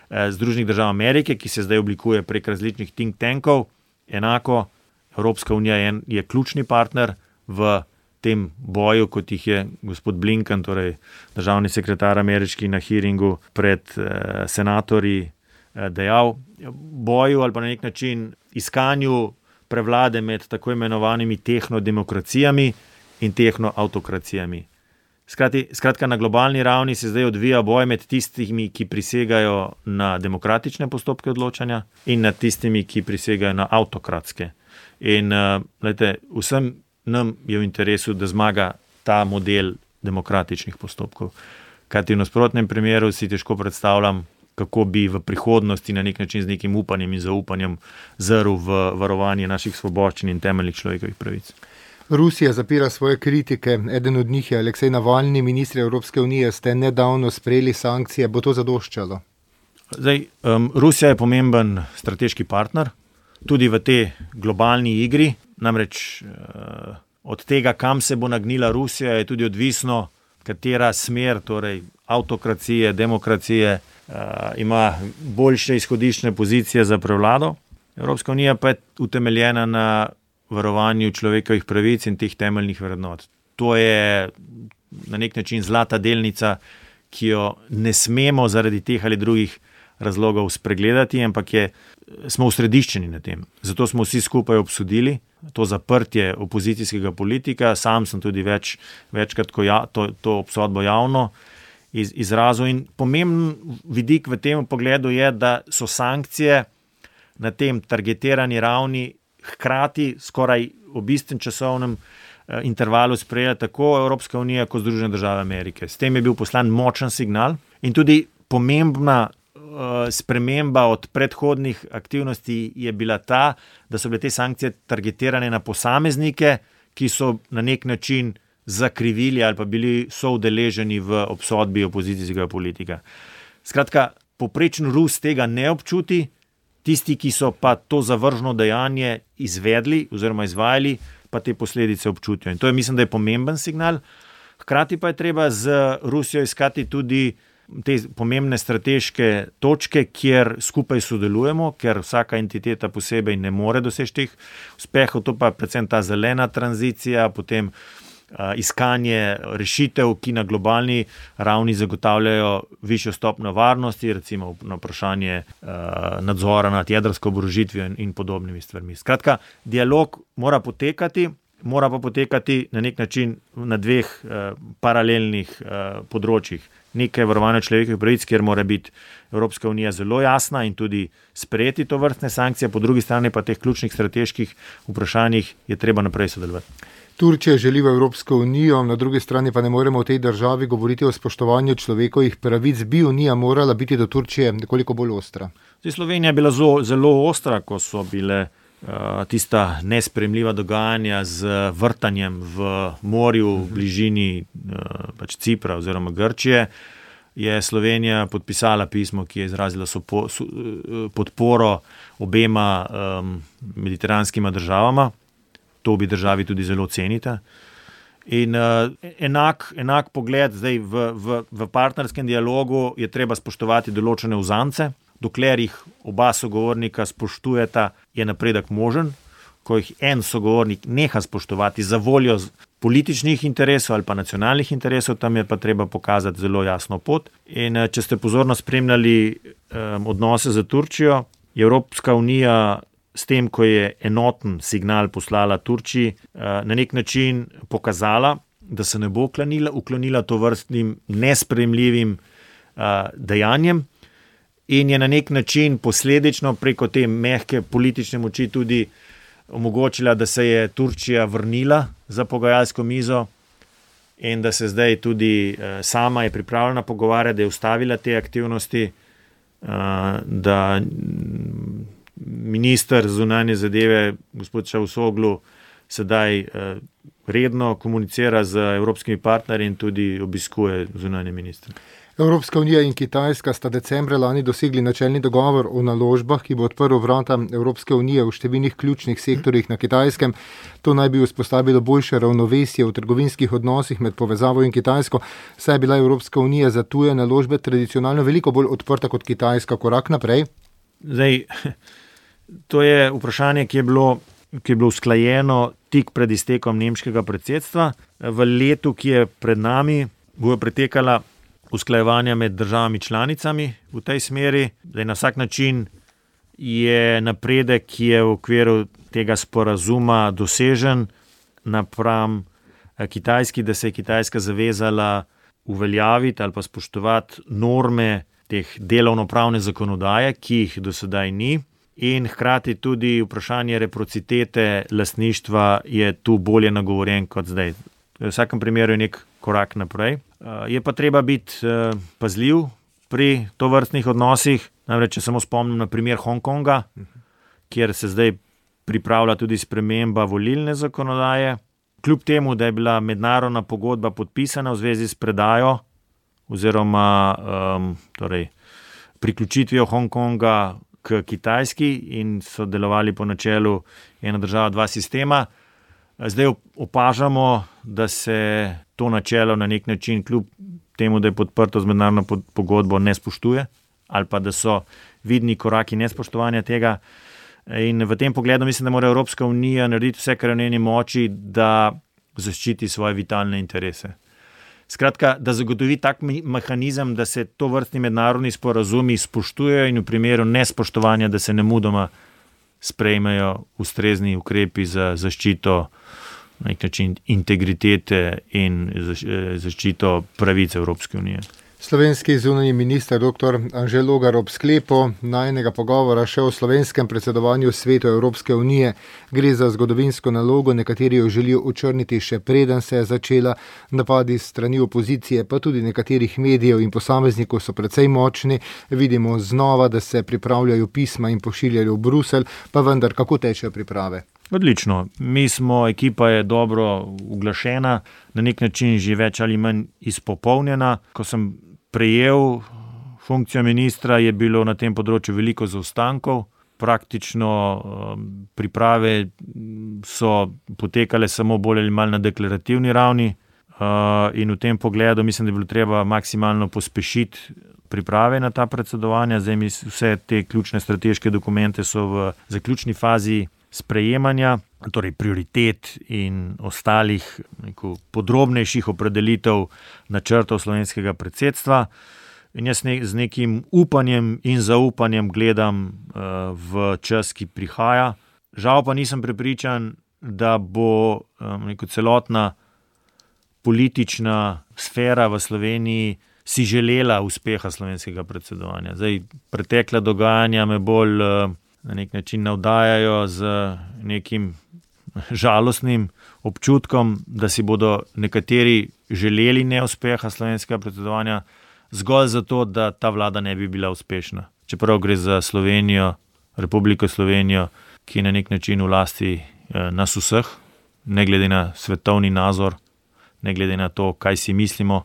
Združenih držav Amerike, ki se zdaj oblikuje prek različnih think tankov, enako Evropska unija je ključni partner v tem boju, kot jih je gospod Blinken, torej državni sekretar ameriški na hearingu pred senatorji dejal, boju ali pa na nek način iskanju prevlade med tako imenovanimi tehnodemokracijami in tehnoautokracijami. Skratka, na globalni ravni se zdaj odvija boj med tistimi, ki prisegajo na demokratične postopke odločanja in nad tistimi, ki prisegajo na avtokratske. In vsem nam je v interesu, da zmaga ta model demokratičnih postopkov. Kajti v nasprotnem primeru si težko predstavljam, kako bi v prihodnosti na nek način z nekim upanjem in zaupanjem zrl v varovanje naših svoboščin in temeljnih človekovih pravic. Rusija zapira svoje kritike. Eden od njih je Aleksej Navalni. Ministri Evropske unije ste nedavno sprejeli sankcije. Bo to zadoščalo? Rusija je pomemben strateški partner, tudi v tej globalni igri. Namreč od tega, kam se bo nagnila Rusija, je tudi odvisno, katera smer, torej avtokracije, demokracije, ima boljše izhodiščne pozicije za prevlado. Evropska unija pa je utemeljena na varovanju človekovih pravic in teh temeljnih vrednot. To je na nek način zlata delnica, ki jo ne smemo zaradi teh ali drugih razlogov spregledati, ampak smo usrediščeni na tem. Zato smo vsi skupaj obsodili to zaprtje opozicijskega politika. Sam sem tudi večkrat to obsodbo javno izrazil. In pomemben vidik v tem pogledu je, da so sankcije na tem targetirani ravni hkrati skoraj v istem časovnem intervalu sprejela tako Evropska unija kot Združene države Amerike. S tem je bil poslan močen signal in tudi pomembna sprememba od predhodnih aktivnosti je bila ta, da so bile te sankcije targetirane na posameznike, ki so na nek način zakrivili ali pa bili soudeleženi v obsodbi opozicijskega politika. Skratka, povprečen Rus tega ne občuti, tisti, ki so pa to zavržno dejanje izvedli oziroma izvajali, pa te posledice občutijo. In to je, mislim, da je pomemben signal. Hkrati pa je treba z Rusijo iskati tudi te pomembne strateške točke, kjer skupaj sodelujemo, ker vsaka entiteta posebej ne more doseči teh uspehov. To pa predvsem ta zelena tranzicija, potem iskanje rešitev, ki na globalni ravni zagotavljajo višjo stopnjo varnosti, recimo na vprašanje nadzora nad jedrsko oborožitvijo in podobnimi stvarmi. Skratka, dialog mora pa potekati na nek način na dveh paralelnih področjih. Nekaj varovanja človekovih pravic, kjer mora biti Evropska unija zelo jasna in tudi sprejeti to vrstne sankcije, po drugi strani pa teh ključnih strateških vprašanjih je treba naprej sodelovati. Turčija želi v Evropsko unijo, na drugi strani pa ne moremo v tej državi govoriti o spoštovanju človekovih pravic. Bi unija morala biti do Turčije nekoliko bolj ostra? Slovenija je bila zelo ostra, ko so bile tista nesprejemljiva dogajanja z vrtanjem v morju v bližini Cipra oziroma Grčije, je Slovenija podpisala pismo, ki je izrazila podporo obema mediteranskima državama. To bi državi tudi zelo cenita. In enak pogled zdaj v partnerskem dialogu je treba spoštovati določene uzance. Dokler jih oba sogovornika spoštujeta, je napredek možen. Ko jih en sogovornik neha spoštovati za voljo političnih interesov ali pa nacionalnih interesov, tam je pa treba pokazati zelo jasno pot. In če ste pozorno spremljali odnose z Turčijo, je Evropska unija s tem, ko je enoten signal poslala Turčiji, na nek način pokazala, da se ne bo uklonila tovrstnim nesprejemljivim dejanjem, in je na nek način posledično preko te mehke politične moči tudi omogočila, da se je Turčija vrnila za pogajalsko mizo in da se zdaj tudi sama je pripravljena pogovarjati, da je ustavila te aktivnosti, da minister zunanje zadeve, gospod Čavusoglu, sedaj redno komunicira z evropskimi partnerji in tudi obiskuje zunanje ministre. Evropska unija in Kitajska sta decembra lani dosegli načelni dogovor o naložbah, ki bo odprl vrata Evropske unije v številnih ključnih sektorjih na Kitajskem. To naj bi vzpostavilo boljše ravnovesje v trgovinskih odnosih med povezavo in Kitajsko, saj je bila Evropska unija za tuje naložbe tradicionalno veliko bolj odprta kot Kitajska. Korak naprej? Zdaj, to je vprašanje, ki je bilo usklajeno tik pred iztekom nemškega predsedstva. V letu, ki je pred nami, bo pretekala usklajevanja med državami članicami v tej smeri. Zdaj, na vsak način je napredek, ki je v okviru tega sporazuma dosežen napram Kitajski, da se je Kitajska zavezala uveljaviti ali pa spoštovati norme teh delovnopravne zakonodaje, ki jih do sedaj ni. In hkrati tudi vprašanje reciprocitete lastništva je tu bolje nagovorjen kot zdaj. V vsakem primeru je nek korak naprej. Je pa treba biti pazljiv pri tovrstnih odnosih. Namreč, če samo spomnim na primer Hongkonga, kjer se zdaj pripravlja tudi sprememba volilne zakonodaje. Kljub temu, da je bila mednarodna pogodba podpisana v zvezi s predajo oziroma priključitvijo Hongkonga k Kitajski in so delovali po načelu ena država, dva sistema. Zdaj opažamo, da se to načelo na nek način, kljub temu, da je podprto z mednarodno pogodbo, ne spoštuje ali pa da so vidni koraki nespoštovanja tega. In v tem pogledu mislim, da mora Evropska unija narediti vse, kar je v njeni moči, da zaščiti svoje vitalne interese. Skratka, da zagotovi tak mehanizem, da se to vrstni mednarodni sporazumi spoštujejo in v primeru nespoštovanja, da se nemudoma sprejmejo ustrezni ukrepi za zaščito na nek način integritete in zaščito pravic Evropske unije. Slovenski zunanji minister dr. Anže Logar ob sklepu najinega pogovora še o slovenskem predsedovanju Svetu Evropske unije. Gre za zgodovinsko nalogo, nekateri jo želijo očrniti še preden se je začela. Napadi strani opozicije, pa tudi nekaterih medijev in posameznikov so precej močni. Vidimo znova, da se pripravljajo pisma in pošiljajo v Bruselj, pa vendar kako tečejo priprave? Odlično. Ekipa je dobro uglašena, na nek način že več ali manj izpopolnjena. Ko sem prejel funkcijo ministra, je bilo na tem področju veliko zaostankov. Praktično priprave so potekale samo bolj ali manj na deklarativni ravni in v tem pogledu mislim, da je bilo treba maksimalno pospešiti priprave na ta predsedovanja. Zdaj vse te ključne strateške dokumente so v zaključni fazi sprejemanja, torej prioritet in ostalih podrobnejših opredelitev načrtov slovenskega predsedstva. In jaz z nekim upanjem in zaupanjem gledam v čas, ki prihaja. Žal pa nisem prepričan, da bo celotna politična sfera v Sloveniji si želela uspeha slovenskega predsedovanja. Zdaj, pretekla dogajanja me bolj na nek način navdajajo z nekim žalostnim občutkom, da si bodo nekateri želeli neuspeha slovenskega predsedovanja zgolj zato, da ta vlada ne bi bila uspešna. Čeprav gre za Slovenijo, Republiko Slovenijo, ki je na nek način v lasti nas vseh, ne glede na svetovni nazor, ne glede na to, kaj si mislimo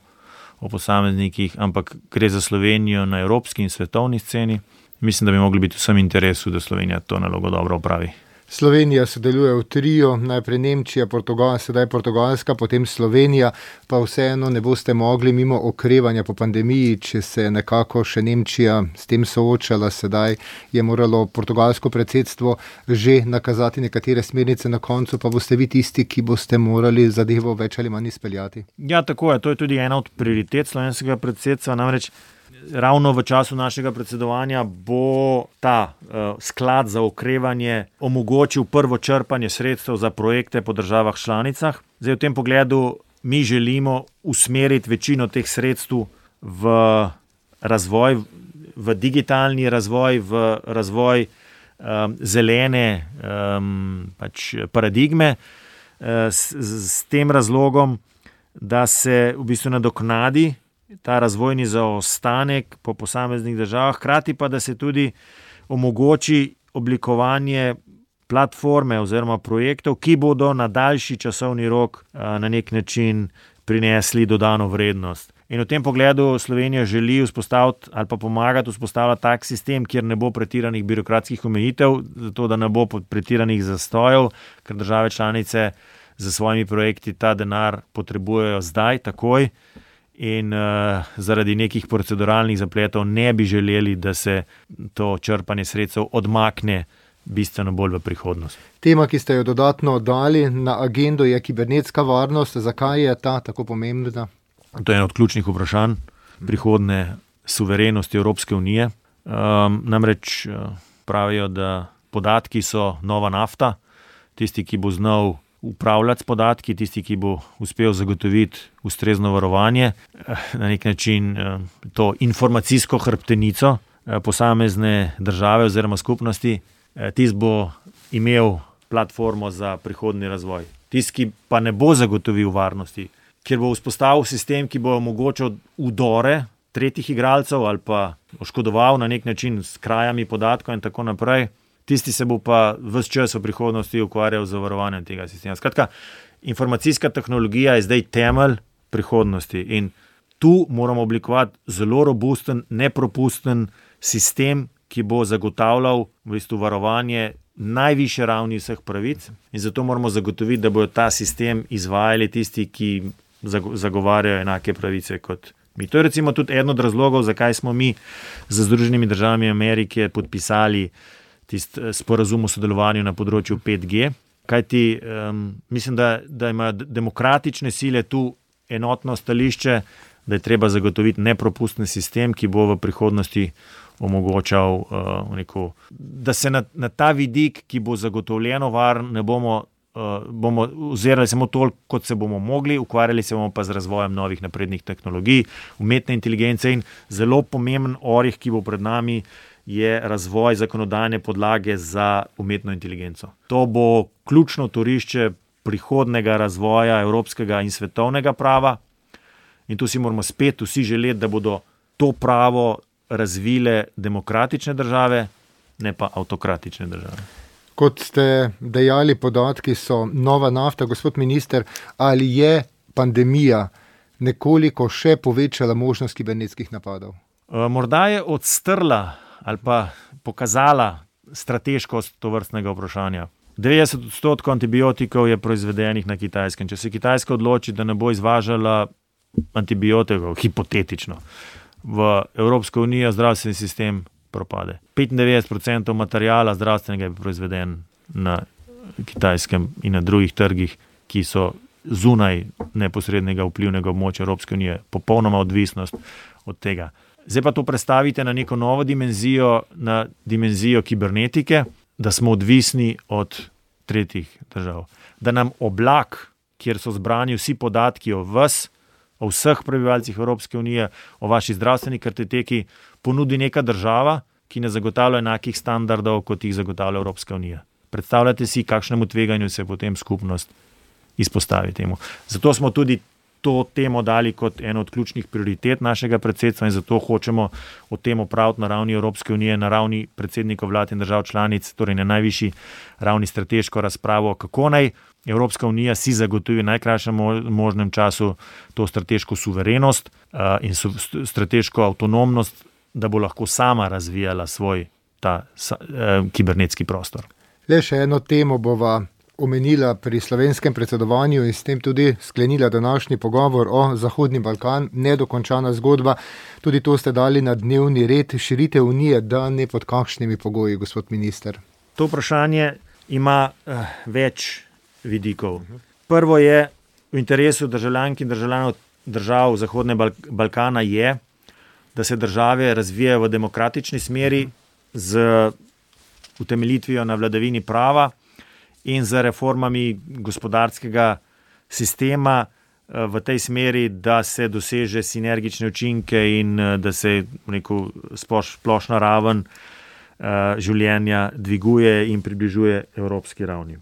o posameznikih, ampak gre za Slovenijo na evropski in svetovni sceni. Mislim, da bi mogli biti vsem interesu, da Slovenija to nalogo dobro opravi. Slovenija sodeluje v trio, najprej Nemčija, sedaj Portugalska, potem Slovenija, pa vseeno ne boste mogli mimo okrevanja po pandemiji, če se nekako še Nemčija s tem soočala. Sedaj je moralo portugalsko predsedstvo že nakazati nekatere smernice, na koncu pa boste vi tisti, ki boste morali zadevo več ali manj izpeljati. Ja, tako je. To je tudi ena od prioritet slovenskega predsedstva, namreč ravno v času našega predsedovanja bo ta sklad za okrevanje omogočil prvo črpanje sredstev za projekte po državah članicah. Zdaj v tem pogledu mi želimo usmeriti večino teh sredstev v razvoj, v digitalni razvoj, v razvoj zelene paradigme s tem razlogom, da se v bistvu nadoknadi ta razvojni zaostanek po posameznih državah, hkrati pa, da se tudi omogoči oblikovanje platforme oziroma projektov, ki bodo na daljši časovni rok na nek način prinesli dodano vrednost. In v tem pogledu Slovenija želi vzpostaviti ali pa pomagati vzpostavljati tak sistem, kjer ne bo pretiranih birokratskih omejitev, zato da ne bo pretiranih zastojev, ker države članice za svojimi projekti ta denar potrebujejo zdaj, takoj. In zaradi nekih proceduralnih zapletov ne bi želeli, da se to črpanje sredstev odmakne bistveno bolj v prihodnost. Tema, ki ste jo dodatno dali na agendo, je kibernetska varnost. Zakaj je ta tako pomembna? To je eno od ključnih vprašanj prihodne suverenosti Evropske unije. Namreč pravijo, da podatki so nova nafta. Tisti, ki bo znal upravljati s podatki, tisti, ki bo uspel zagotoviti ustrezno varovanje, na nek način to informacijsko hrbtenico posamezne države oziroma skupnosti, tisti bo imel platformo za prihodnji razvoj. Tisti, ki pa ne bo zagotovil varnosti, kjer bo vzpostavil sistem, ki bo omogočal vdore tretjih igralcev ali pa oškodoval na nek način s krajami podatkov in tako naprej, tisti se bo pa ves čas v prihodnosti ukvarjal z varovanjem tega sistema. Skratka, informacijska tehnologija je zdaj temelj prihodnosti in tu moramo oblikovati zelo robusten, nepropusten sistem, ki bo zagotavljal v bistvu varovanje najvišje ravni vseh pravic in zato moramo zagotoviti, da bodo ta sistem izvajali tisti, ki zagovarjajo enake pravice kot mi. To je recimo tudi eden od razlogov, zakaj smo mi z Združenimi državami Amerike podpisali tisti sporazum o sodelovanju na področju 5G, kajti mislim, da imajo demokratične sile tu enotno stališče, da je treba zagotoviti nepropusten sistem, ki bo v prihodnosti omogočal, da se na ta vidik, ki bo zagotovljeno varen, ne bomo ozirali samo toliko, kot se bomo mogli, ukvarjali se bomo pa z razvojem novih naprednih tehnologij, umetne inteligence in zelo pomemben orih, ki bo pred nami, je razvoj zakonodajne podlage za umetno inteligenco. To bo ključno torišče prihodnega razvoja evropskega in svetovnega prava in tu si moramo spet vsi želeti, da bodo to pravo razvile demokratične države, ne pa avtokratične države. Kot ste dejali, podatki so nova nafta. Gospod minister, ali je pandemija nekoliko še povečala možnost kibernetskih napadov? Morda je odstrla ali pa pokazala strateškost tovrstnega vprašanja. 90% antibiotikov je proizvedenih na Kitajskem. Če se Kitajska odloči, da ne bo izvažala antibiotikov, hipotetično, v Evropsko unijo, zdravstveni sistem propade. 95% materijala zdravstvenega je proizveden na Kitajskem in na drugih trgih, ki so zunaj neposrednega vplivnega območja Evropske unije, popolnoma odvisnost od tega. Zdaj pa to prestavite na neko novo dimenzijo, na dimenzijo kibernetike, da smo odvisni od tretjih držav. Da nam oblak, kjer so zbrani vsi podatki o vas, o vseh prebivalcih Evropske unije, o vaši zdravstveni kartoteki, ponudi neka država, ki ne zagotavlja enakih standardov, kot jih zagotavlja Evropska unija. Predstavljate si, kakšnemu tveganju se potem skupnost izpostavi temu. Zato smo tudi to temo dali kot eno od ključnih prioritet našega predsedstva in zato hočemo o tem opraviti na ravni Evropske unije, na ravni predsednikov vlad in držav članic, torej na najvišji ravni strateško razpravo, kako naj Evropska unija si zagotovi v najkrajšem možnem času to strateško suverenost in strateško avtonomnost, da bo lahko sama razvijala svoj kibernetski prostor. Le še eno temo bova omenila pri slovenskem predsedovanju in s tem tudi sklenila današnji pogovor o Zahodni Balkan, nedokončana zgodba. Tudi to ste dali na dnevni red, širitev unije, da ne pod kakšnimi pogoji, gospod minister. To vprašanje ima več vidikov. Prvo je, v interesu državljank in državljanov držav Zahodnega Balkana je, da se države razvijajo v demokratični smeri z utemeljitvijo na vladavini prava in z reformami gospodarskega sistema v tej smeri, da se doseže sinergične učinke in da se splošna raven življenja dviguje in približuje evropski ravni.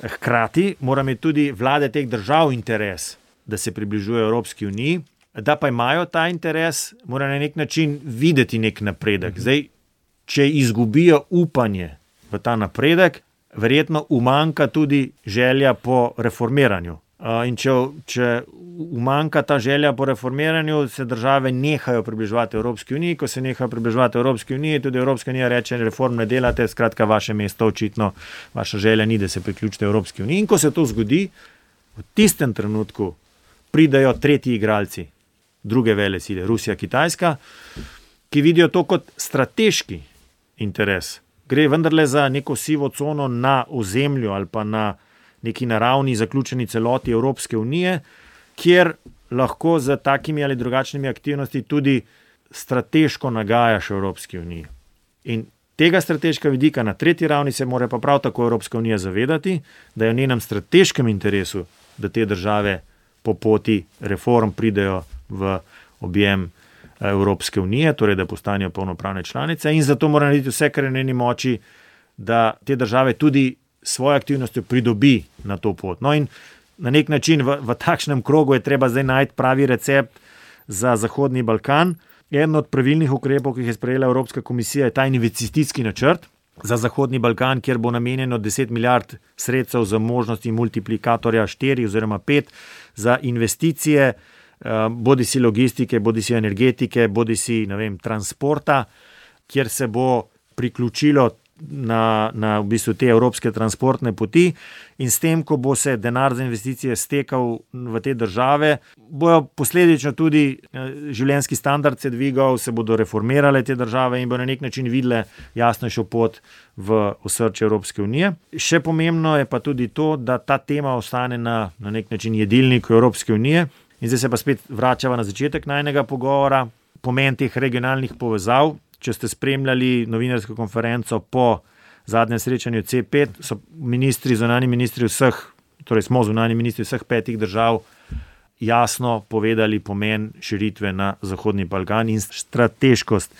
Hkrati mora imeti tudi vlade teh držav interes, da se približuje Evropski uniji, da pa imajo ta interes, mora na nek način videti nek napredek. Zdaj, če izgubijo upanje v ta napredek, verjetno umanjka tudi želja po reformiranju. In če umanjka ta želja po reformiranju, se države nehajo približevati Evropski uniji. Ko se nehajo približevati Evropski uniji, tudi Evropska unija reče, reform ne delate, skratka vaše mesto očitno, vaša želja ni, da se priključite Evropski uniji. In ko se to zgodi, v tistem trenutku pridajo tretji igralci, druge velesile, Rusija, Kitajska, ki vidijo to kot strateški interes. Gre vendarle za neko sivo cono na ozemlju ali pa na neki naravni zaključeni celoti Evropske unije, kjer lahko z takimi ali drugačnimi aktivnosti tudi strateško nagajaš Evropski uniji. In tega strateškega vidika na tretji ravni se mora pa prav tako Evropska unija zavedati, da je v njenem strateškem interesu, da te države po poti reform pridejo v objem Evropske unije, torej da postanejo polnopravne članice in zato mora narediti vse, kar je v njeni moči, da te države tudi svojo aktivnostjo pridobi na to pot. No in na nek način v takšnem krogu je treba zdaj najti pravi recept za Zahodni Balkan. Eden od pravilnih ukrepov, ki jih je sprejela Evropska komisija, je ta investicijski načrt za Zahodni Balkan, kjer bo namenjeno 10 milijard sredstev za možnosti multiplikatorja 4 oziroma 5 za investicije, bodisi logistike, bodisi energetike, bodisi transporta, kjer se bo priključilo na v bistvu te evropske transportne poti in s tem, ko bo se denar za investicije stekal v te države, bojo posledično tudi življenjski standard se dvigal, se bodo reformirale te države in bo na nek način videle jasnejšo pot v osrčje Evropske unije. Še pomembno je pa tudi to, da ta tema ostane na nek način jedilniku Evropske unije. In zdaj se pa spet vračava na začetek najnega pogovora, pomen teh regionalnih povezav. Če ste spremljali novinarsko konferenco po zadnjem srečanju C5, so zunanji ministri vseh, torej smo zunanji ministri vseh 5 držav jasno povedali pomen širitve na Zahodni Balkan in strateškost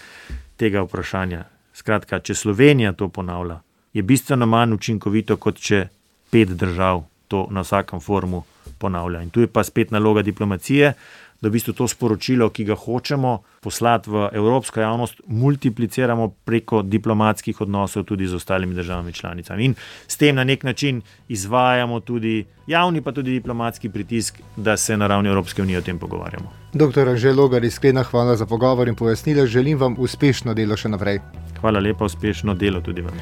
tega vprašanja. Skratka, če Slovenija to ponavlja, je bistveno manj učinkovito, kot če 5 držav to na vsakem forumu ponavlja. In tu je pa spet naloga diplomacije, da v bistvu to sporočilo, ki ga hočemo poslati v evropsko javnost, multipliciramo preko diplomatskih odnosov tudi z ostalimi državami članicami. In s tem na nek način izvajamo tudi javni, pa tudi diplomatski pritisk, da se na ravni Evropske unije o tem pogovarjamo. Dr. Anže Logar, iskrena hvala za pogovor in pojasnila. Želim vam uspešno delo še naprej. Hvala lepa, uspešno delo tudi vam.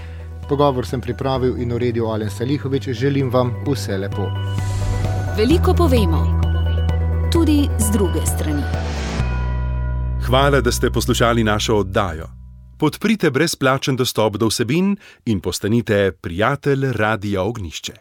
Pogovor sem pripravil in uredil Alen Salihović. Želim vam vse lepo. Veliko povemo. Tudi z druge strani. Hvala, da ste poslušali našo oddajo. Podprite brezplačen dostop do vsebin in postanite prijatelj Radia Ognjišče.